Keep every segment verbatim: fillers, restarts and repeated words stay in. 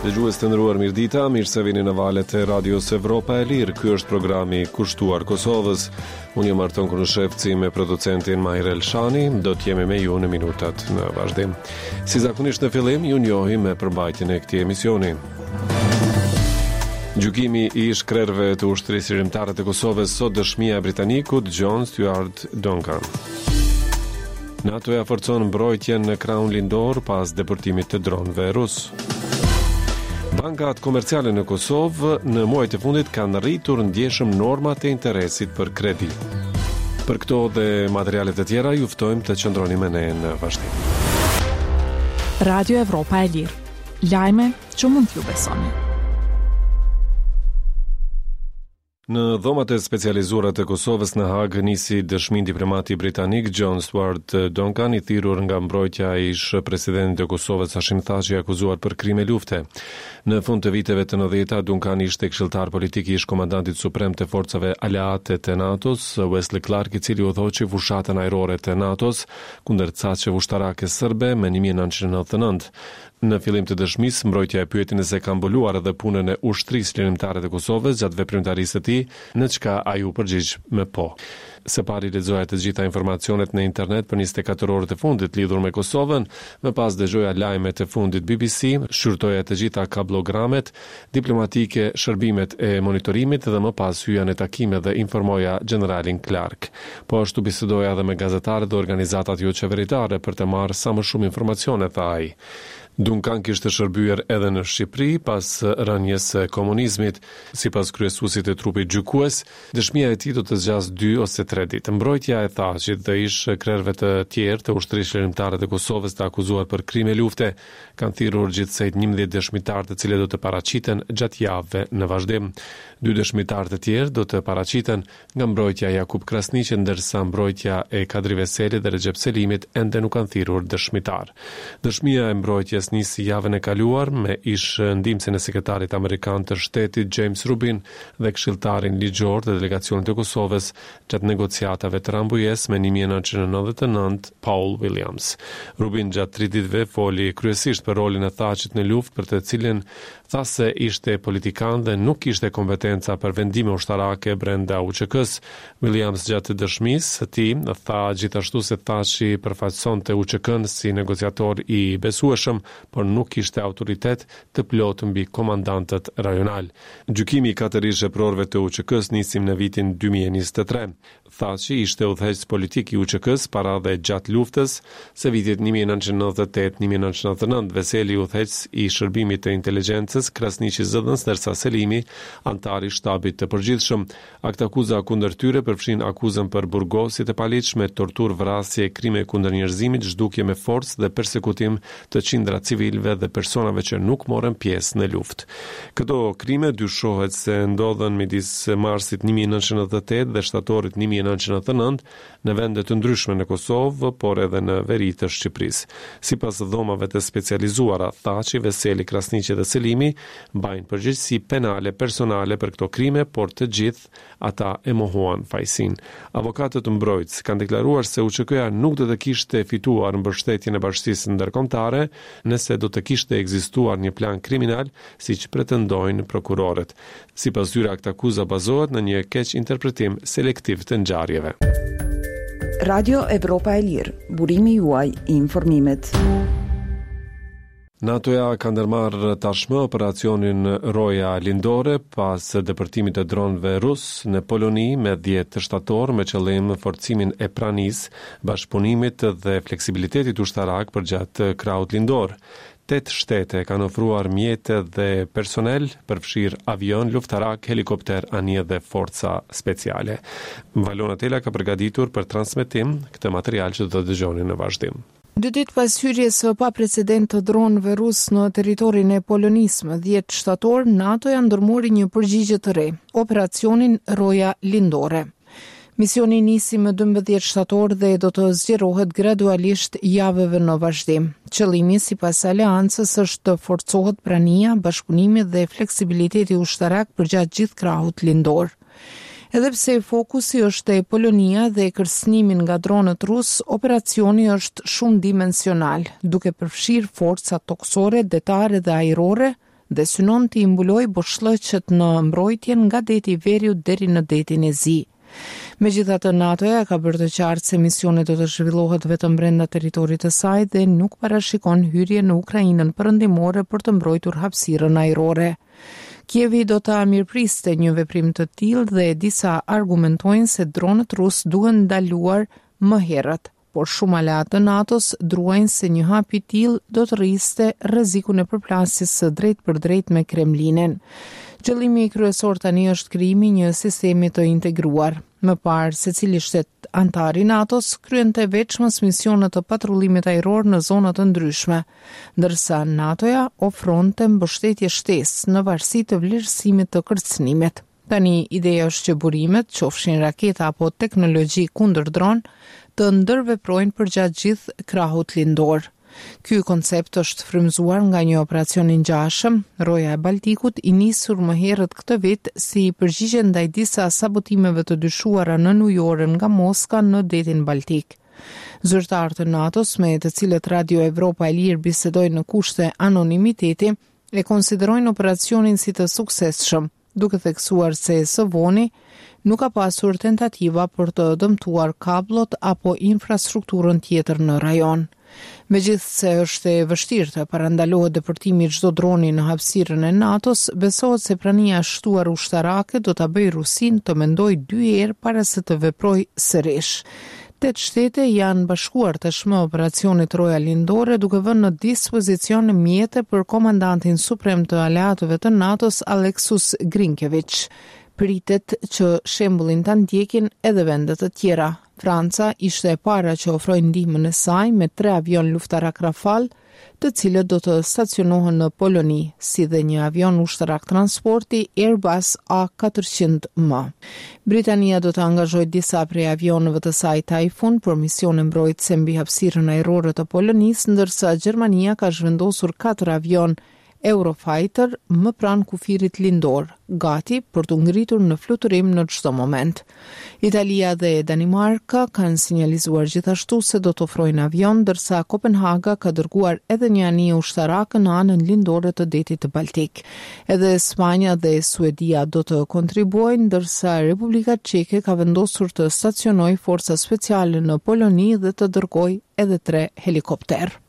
Dëgjues të nderuar, mirëdita, mirë se vini në valet e Radios Evropa e Lirë. Ky është programi kushtuar Kosovës. Unë jam Arton Konushevci me producentin Mahir Elshani, do të jemi me ju në minutat në vazhdim. Si zakonisht në fillim, ju njohim me përmbajtjen e këtij emisioni. Gjykimi i ish krerëve të Ushtrisë Çlirimtare të Kosovës, sot dëshmia e britanikut John Stewart Duncan. NATO e forcon mbrojtjen në krahun lindor pas depërtimit të dronëve rus. Bankat komerciale në Kosovë në muajt e fundit kanë rritur ndjeshëm normat e interesit për kredi. Për këto dhe materialet e tjera ju ftojmë të qëndroni me ne në vazhdim. Radio Evropa e Lirë. Lajme që mund t'ju besoni. Në dhomat e specializuara të Kosovës në Hagë nisi dëshmin diplomati britanik John Stewart Duncan, i thirrur nga mbrojtja e ish presidentit të Kosovës Hashim Thaçi, akuzuar për krime lufte. Në fund të viteve të nëntëdhjeta, Duncan ishte këshilltar politik i ish komandantit suprem të forcave aleate të NATO-s, Wesley Clark, i cili udhëhoqi fushatën ajrore të NATO-s kundër caqeve ushtarake serbe më një mijë e nëntëqind e nëntëdhjetë e nëntë. Në fillim të dëshmisë, mbrojtja e pyeti nëse ka mbuluar edhe punën e Ushtrisë Çlirimtare të Kosovës gjatë veprimtarisë së tij, në çka ai u përgjigj me po. Së pari lexoja të gjitha informacionet në internet për njëzet e katër orët e fundit lidhur me Kosovën, më pas dëgjoja lajmet e fundit B B C, shqyrtoja të gjitha kablogramet diplomatike, shërbimet e monitorimit dhe më pas hyja në takime dhe informoja gjeneralin Clark. Po ashtu bisedoja edhe me gazetarët dhe organizatat jo qeveritare për të marrë sa më shumë informacione, tha ai. Duncan kishte shërbyer edhe në Shqipëri pas rënies së komunizmit. Sipas kryesuesit të trupit gjykues, dëshmia e tij do të zgjasë dy ose tre ditë. Mbrojtja e Thaçit dhe ish krerëve të tjerë të Ushtrisë Çlirimtare të Kosovës të akuzuar për krime lufte kanë thirrur gjithsej njëmbëdhjetë dëshmitarë, të cilët do të paraqiten gjatë javëve në vazhdim. Dy dëshmitarë të tjerë do të paraqiten nga mbrojtja e Jakup Krasniqit, ndërsa mbrojtja e Kadri Veselit dhe Rexhep Selimit ende nuk kanë thirrur dëshmitar. Dëshmia e mbrojtjes nisi javën e kaluar me ish ndihmësin e sekretarit amerikan të shtetit James Rubin dhe këshilltarin ligjor të delegacionit të Kosovës gjatë negociatave të Rambujes me një mijë e nëntëqind e nëntëdhjetë e nëntë, Paul Williams. Rubin gjatë tri ditëve foli kryesisht për rolin e Thaçit në luftë, për të cilin tha se ishte politikan dhe nuk kishte kompetenca për vendime ushtarake brenda U Ç K-s. Williams gjatë dëshmisë së tij tha gjithashtu se Thaçi përfaqësonte U Ç K-n si negociator i besueshëm, por nuk kishte autoritet të plotë mbi komandantët rajonal. Gjykimi i katër ish eprorëve të U Ç K-s nisim në vitin dy mijë e njëzet e tre. Thaçi ishte udhëheqës politik i U Ç K-s para dhe gjatë luftës së vitit një mijë e nëntëqind e nëntëdhjetë e tetë, një mijë e nëntëqind e nëntëdhjetë e nëntë, Veseli udhëheqës i shërbimit të inteligjencës, Krasniqi zëdhënës, ndërsa Selimi antar i shtabit të përgjithshëm. Aktakuza kundër tyre përfshin akuzën për burgosje të paligjshme, torturë, vrasje, krime kundër njerëzimit, zhdukje me forcë dhe persekutim të qindra civilëve dhe personave që nuk morën pjesë në luftë. Këto krime dyshohet se ndodhën midis marsit një mijë e nëntëqind e nëntëdhjetë e tetë dhe shtatorit një mijë e nëntëqind e nëntëdhjetë e nëntë në vende të ndryshme në Kosovë, por edhe në veri të Shqipërisë. Sipas dhomave të specializuara, Thaçi, Veseli, Krasniqi dhe Selimi mbajnë përgjegjësi penale personale për këto krime, por të gjithë ata e mohuan fajsinë. Avokatët mbrojtës kanë deklaruar se U Ç K-ja nuk do të kishte fituar mbështetjen e bashkësisë ndërkombëtare nëse do të kishte ekzistuar një plan kriminal, siç pretendojnë prokurorët. Sipas tyre, aktakuza bazohet në një keq interpretim selektiv të ngjarjeve. Radio Evropa e Lirë, burimi juaj i informimit. NATO-ja ka ndërmarrë tashmë operacionin Roja Lindore pas depërtimit të dronëve rus në Poloni me dhjetë shtator me qëllim forcimin e pranisë, bashkëpunimit dhe fleksibilitetit ushtarak përgjatë krahut lindor. Tetë shtete kanë ofruar mjete dhe personel, përfshirë avion, luftarak, helikopter, anije dhe forca speciale. Valona Tela ka përgatitur për transmetim këtë material që do të dëgjoni në vazhdim. Dy ditë pas hyrjes së paprecedent të dronëve rus në territorin e Polonisë më dhjetë shtator, NATO-ja ndërmori një përgjigje të re, operacionin Roja Lindore. Misioni nisi më dymbëdhjetë shtator dhe do të zgjerohet gradualisht javëve në vazhdim. Qëllimi, sipas aleancës, është të forcohet prania, bashkëpunimi dhe fleksibiliteti ushtarak përgjatë gjithë krahut lindor. Edhe pse fokusi është te Polonia dhe kërcënimi nga dronët rus, operacioni është shumë dimensional, duke përfshirë forca tokësore, detare dhe ajrore dhe synon të mbulojë boshllëqet në mbrojtjen nga deti i Veriut deri në detin e Zi. Megjithatë, NATO-ja ka bërë të qartë se misioni do të zhvillohet vetëm brenda territorit të saj dhe nuk parashikon hyrje në Ukrainën perëndimore për të mbrojtur hapësirën ajrore. Kievi do ta mirëpriste një veprim të tillë dhe disa argumentojnë se dronët rus duhen ndaluar më herët, por shumë aleatë të NATO-s druajnë se një hap i tillë do të rriste rrezikun e përplasjes së drejtpërdrejtë me Kremlinin. Qëllimi kryesor tani është krijimi i një sistemi të integruar. Më parë, secili shtet antar i NATO-s kryente veçmas misione të patrullimit ajror në zona të ndryshme, ndërsa NATO-ja ofronte mbështetje shtesë në varësi të vlerësimit të kërcënimit. Tani, ideja është që burimet, qofshin raketa apo teknologji kundër dron, të ndërveprojnë përgjatë gjithë krahut lindor. Ky koncept është frymëzuar nga një operacion i ngjashëm, Roja e Baltikut, i nisur më herët këtë vit si përgjigje ndaj disa sabotimeve të dyshuara nënujore nga Moska në detin Baltik. Zyrtarë të NATO-s, me të cilët Radio Evropa e Lirë bisedoi në kushte anonimiteti, e konsiderojnë operacionin si të suksesshëm, duke theksuar se së voni nuk ka pasur tentativa për të dëmtuar kabllot apo infrastrukturën tjetër në rajon. Megjithëse është e vështirë të parandalohet depërtimi i çdo droni në hapësirën e NATO-s, besohet se prania e shtuar ushtarake do ta bëjë Rusinë të mendojë dy herë para se të veprojë sërish. Tetë shtete janë bashkuar tashmë operacionit Roja Lindore duke vënë në dispozicion mjete për komandantin suprem të aleatëve të NATO-s Alexus Grynkewich. Pritet që shembullin ta ndjekin edhe vende të tjera. Franca ishte e para që ofroi ndihmën e saj me tre avion luftarak Rafale, të cilët do të stacionohen në Poloni, si dhe një avion ushtarak transporti Airbus A katërqind M. Britania do të angazhojë disa prej avionëve të saj Typhoon për misione mbrojtëse mbi hapësirën ajrore të Polonisë, ndërsa Gjermania ka zhvendosur katër avion Eurofighter më pranë kufirit lindor, gati për t'u ngritur në fluturim në çdo moment. Italia dhe Danimarka kanë sinjalizuar gjithashtu se do të ofrojnë avion, ndërsa Kopenhaga ka dërguar edhe një anije ushtarake në anën lindore të detit të Baltik. Edhe Spanja dhe Suedia do të kontribuojnë, ndërsa Republika Çeke ka vendosur të stacionojë forca speciale në Poloni dhe të dërgojë edhe tre helikopterë.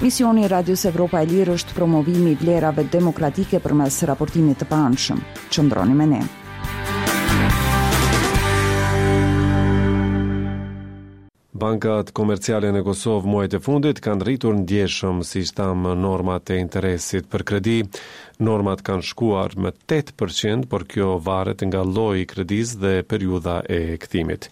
Misioni i Radios Evropa e Lirë është promovimi i vlerave demokratike përmes raportimit të paanshëm. Qëndroni me ne. Bankat komerciale në Kosovë muajt e fundit kanë rritur ndjeshëm, siç tham, normat e interesit për kredi. Normat kanë shkuar me tetë përqind, por kjo varet nga lloji i kredisë dhe periudha e kthimit.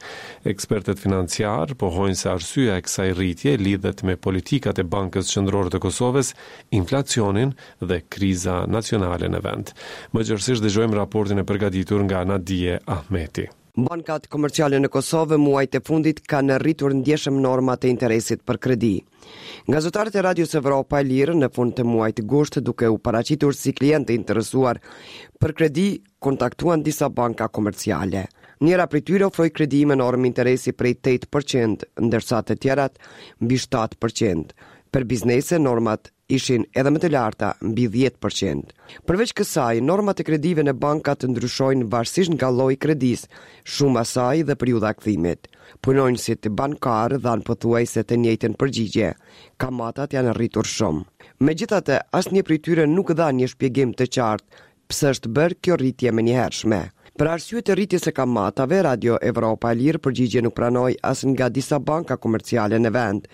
Ekspertët financiar pohojnë se arsyeja e kësaj rritje lidhet me politikat e Bankës Qendrore të Kosovës, inflacionin dhe kriza nacionale në vend. Më gjerësisht dëgjojmë raportin e përgatitur nga Nadie Ahmeti. Bankat komerciale në Kosovë muajt e fundit kanë rritur ndjeshëm normat e interesit për kredi. Gazetarët e Radios Evropa e Lirë në fund të muajit gusht, duke u paraqitur si klientë të interesuar për kredi, kontaktuan disa banka komerciale. Njëra prej tyre ofroi kredi me normë interesi prej tetë përqind, ndërsa të tjerat mbi shtatë përqind. Për biznese normat ishin edhe më të larta, mbi dhjetë përqind. Përveç kësaj, normat e kredive në bankat ndryshojnë varësisht nga lloji i kredisë, shuma e saj dhe periudha e kthimit. Punonjësit bankar dhanë pothuajse të njëjtën përgjigje. Kamatat janë rritur shumë. Megjithatë, asnjë prej tyre nuk dha një shpjegim të qartë pse është bërë kjo rritje më njëhershme. Për arsye të rritjes së kamatave, Radio Evropa e Lirë përgjigje nuk pranoi as nga disa banka komerciale në vend,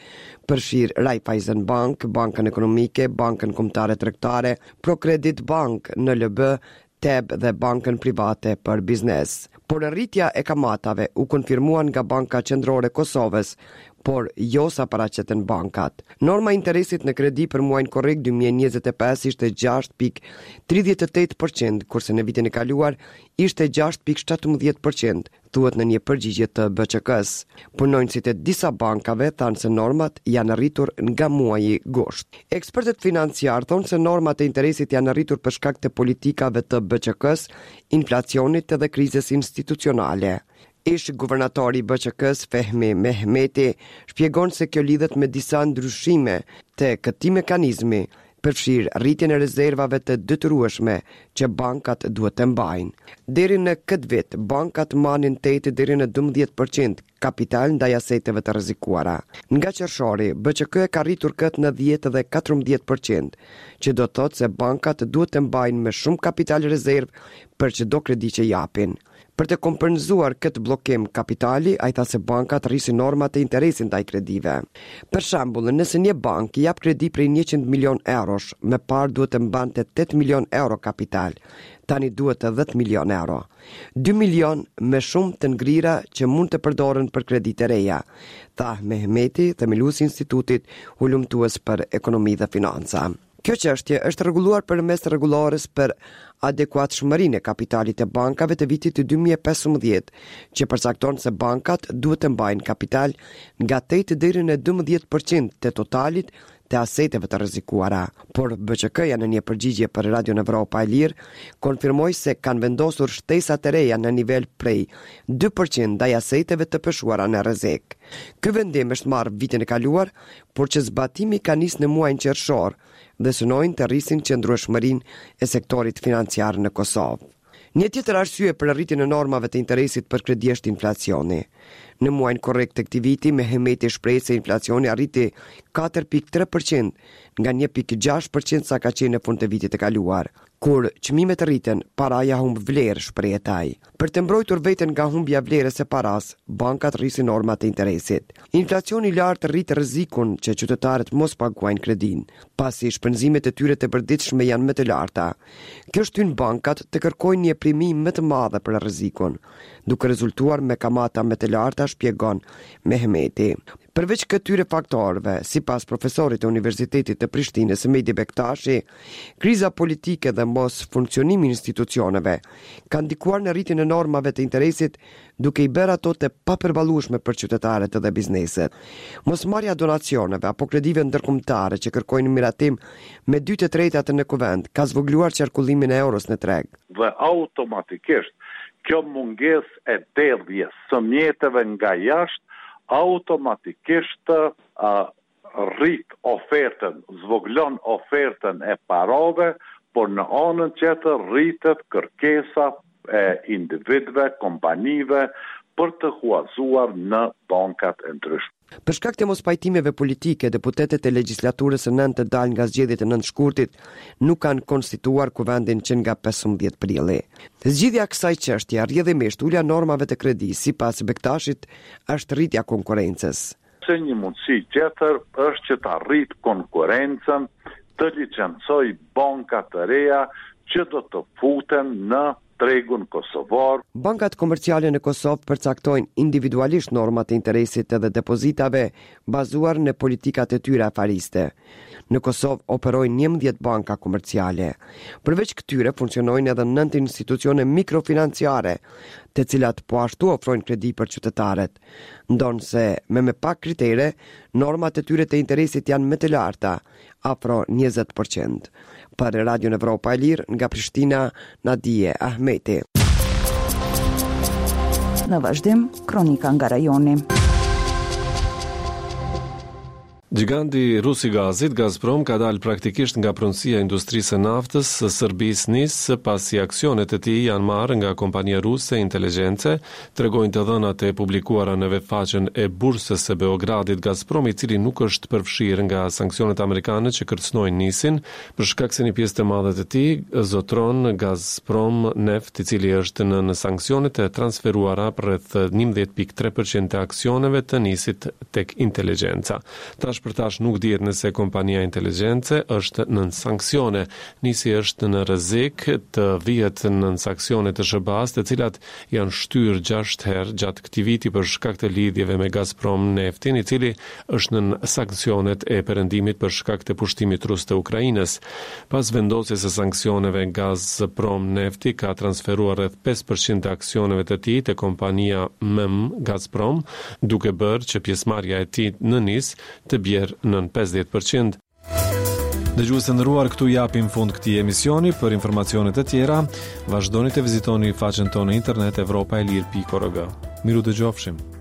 përfshir Raiffeisen Bank, Bankën Ekonomike, Bankën Kombëtare Tregtare, Procredit Bank, N L B, T E B dhe Bankën Private për Biznes. Por rritja e kamatave u konfirmua nga Banka Qendrore e Kosovës, por jo sa paraqeten bankat. Norma e interesit në kredi për muajin korrik dy mijë e njëzet e pesë ishte gjashtë pikë tridhjetë e tetë përqind, kurse në vitin e kaluar ishte gjashtë pikë shtatëmbëdhjetë përqind, thuhet në një përgjigje të B Q K-s. Punonjësit e disa bankave thanë se normat janë rritur nga muaji gusht. Ekspertët financiar thonë se normat e interesit janë rritur për shkak të politikave të B Q K-s, inflacionit dhe krizës institucionale. Ish guvernatori i B Q K-s Fehmi Mehmeti shpjegon se kjo lidhet me disa ndryshime të këtij mekanizmi, përfshirë rritjen e rezervave të detyrueshme që bankat duhet të mbajnë. Deri në këtë vit, bankat manin tetë deri në dymbëdhjetë përqind kapital ndaj aseteve të rrezikuara. Nga qershori, B Ç K e ka rritur këtë në dhjetë dhe katërmbëdhjetë përqind, që do të thotë se bankat duhet të mbajnë më shumë kapital rezervë për çdo kredi që japin. Për të kompenzuar këtë bllokim kapitali, ai tha se bankat rrisin normat e interesit ndaj kredive. Për shembull, nëse një bankë jap kredi prej njëqind milion eurosh, më parë duhet të mbante tetë milion euro kapital, tani duhet të dhjetë milion euro. dy milion më shumë të ngrira që mund të përdoren për kredi të reja, tha Mehmeti, themeluesi i Institutit Hulumtues për Ekonomi dhe Financa. Kjo çështje është rregulluar përmes rregullores për adekuatshmërinë e kapitalit të bankave të vitit dy mijë e pesëmbëdhjetë, që përcakton se bankat duhet të mbajnë kapital nga tetë deri në dymbëdhjetë përqind të totalit të aseteve të rrezikuara. Por B Ç K-ja në një përgjigje për Radion Evropa e Lirë konfirmoi se kanë vendosur shtesa të reja në nivel prej dy përqind ndaj aseteve të peshuara në rrezik. Ky vendim është marrë vitin e kaluar, por që zbatimi ka nisë në muajin qershor dhe synojnë të rrisin qëndrueshmërinë e sektorit financiar në Kosovë. Një tjetër arsye për rritjen e normave të interesit për kredi është inflacioni. Në muajin korrik të këtij viti, Mehmeti shpreh se inflacioni arriti katër pikë tre përqind nga një pikë gjashtë përqind sa ka qenë në fund të vitit të kaluar. Kur çmimet rriten, paraja humb vlerë, shprehet ai. Për të mbrojtur veten nga humbja e vlerës së paras, bankat rrisin normat e interesit. Inflacioni i lartë rrit rrezikun që qytetarët mos paguajnë kredinë, pasi shpenzimet e tyre të përditshme janë më të larta. Kjo shtyn bankat të kërkojnë një primi më të madhe për rrezikun, duke rezultuar me kamata më të larta, shpjegon Mehmeti. Përveç këtyre faktorëve, sipas profesorit të Universitetit të Prishtinës, Mehdi Bektashi, kriza politike dhe mos funksionimi i institucioneve kanë ndikuar në rritjen e normave të interesit, duke i bërë ato të papërballueshme për qytetarët dhe bizneset. Mosmarrja e donacioneve apo kredive ndërkombëtare që kërkojnë miratim me dy të tretat në kuvend ka zvogëluar qarkullimin e euros në treg. Dhe automatikisht kjo mungesë e derdhjes së mjeteve nga jashtë automatikisht, a, rrit ofertën, zvogëlon ofertën e parave, por në anën tjetër rritet kërkesa e individëve, kompanive për të huazuar në bankat e ndryshme. Për shkak të mospajtimeve politike, deputetët e legjislaturës së nëntë të dalë nga zgjedhjet e nëntë shkurtit nuk kanë konstituar kuvendin që nga pesëmbëdhjetë prilli. Zgjidhja e kësaj çështje, rrjedhimisht ulja normave të kredisë, sipas Bektashit, është rritja e konkurrencës. Se një mundësi tjetër është që ta rrit konkurrencën, të licencoj banka të reja që do të futen në tregun kosovar. Bankat komerciale në Kosovë përcaktojnë individualisht normat e interesit dhe depozitave bazuar në politikat e tyre afariste. Në Kosovë operojnë njëmbëdhjetë banka komerciale. Përveç këtyre funksionojnë edhe nëntë institucione mikrofinanciare, të cilat po ashtu ofrojnë kredi për qytetarët. Ndonëse me më pak kritere, normat e tyre të interesit janë më të larta, afro njëzet përqind. Për Radion Evropa e Lirë, nga Prishtina, Nadie Ahmeti. Në vazhdim, kronika nga rajoni. Giganti rus i gazit, Gazprom, ka dalë praktikisht nga pronësia e industrisë së naftës së Serbisë N I S, pasi aksionet e tij janë marrë nga kompania ruse Intelligence, tregojnë të dhënat e publikuara në webfaqen e bursës së Beogradit. Gazprom, i cili nuk është përfshirë nga sanksionet amerikane që kërcënojnë N I S-in, për shkak se një pjesë të madhe të tij zotron Gazprom Neft, i cili është në, në sanksionet e transferuara për rreth njëmbëdhjetë pikë tre përqind të aksioneve të N I S-it tek Inteligjenca. Tash për tash nuk dihet nëse kompania Inteligjenca është nën sanksione. N I S-i është në rrezik të vihet nën sanksione të S H B A-s, të cilat janë shtyrë gjashtë herë gjatë këtij viti për shkak të lidhjeve me Gazprom Neftin, i cili është nën sanksionet e perëndimit për shkak të pushtimit rus të Ukrainës. Pas vendosjes së sanksioneve, Gazprom Nefti ka transferuar rreth pesë përqind të aksioneve të tij te kompania M M Gazprom, duke bërë që pjesëmarrja e tij në N I S të bjerë nën pesëdhjetë përqind. Dëgjues të nderuar, këtu japim fund këtij emisioni. Për informacione të tjera, vazhdoni të vizitoni faqen tonë në internet evropa e lirë pikë org. Miru dëgjofshim.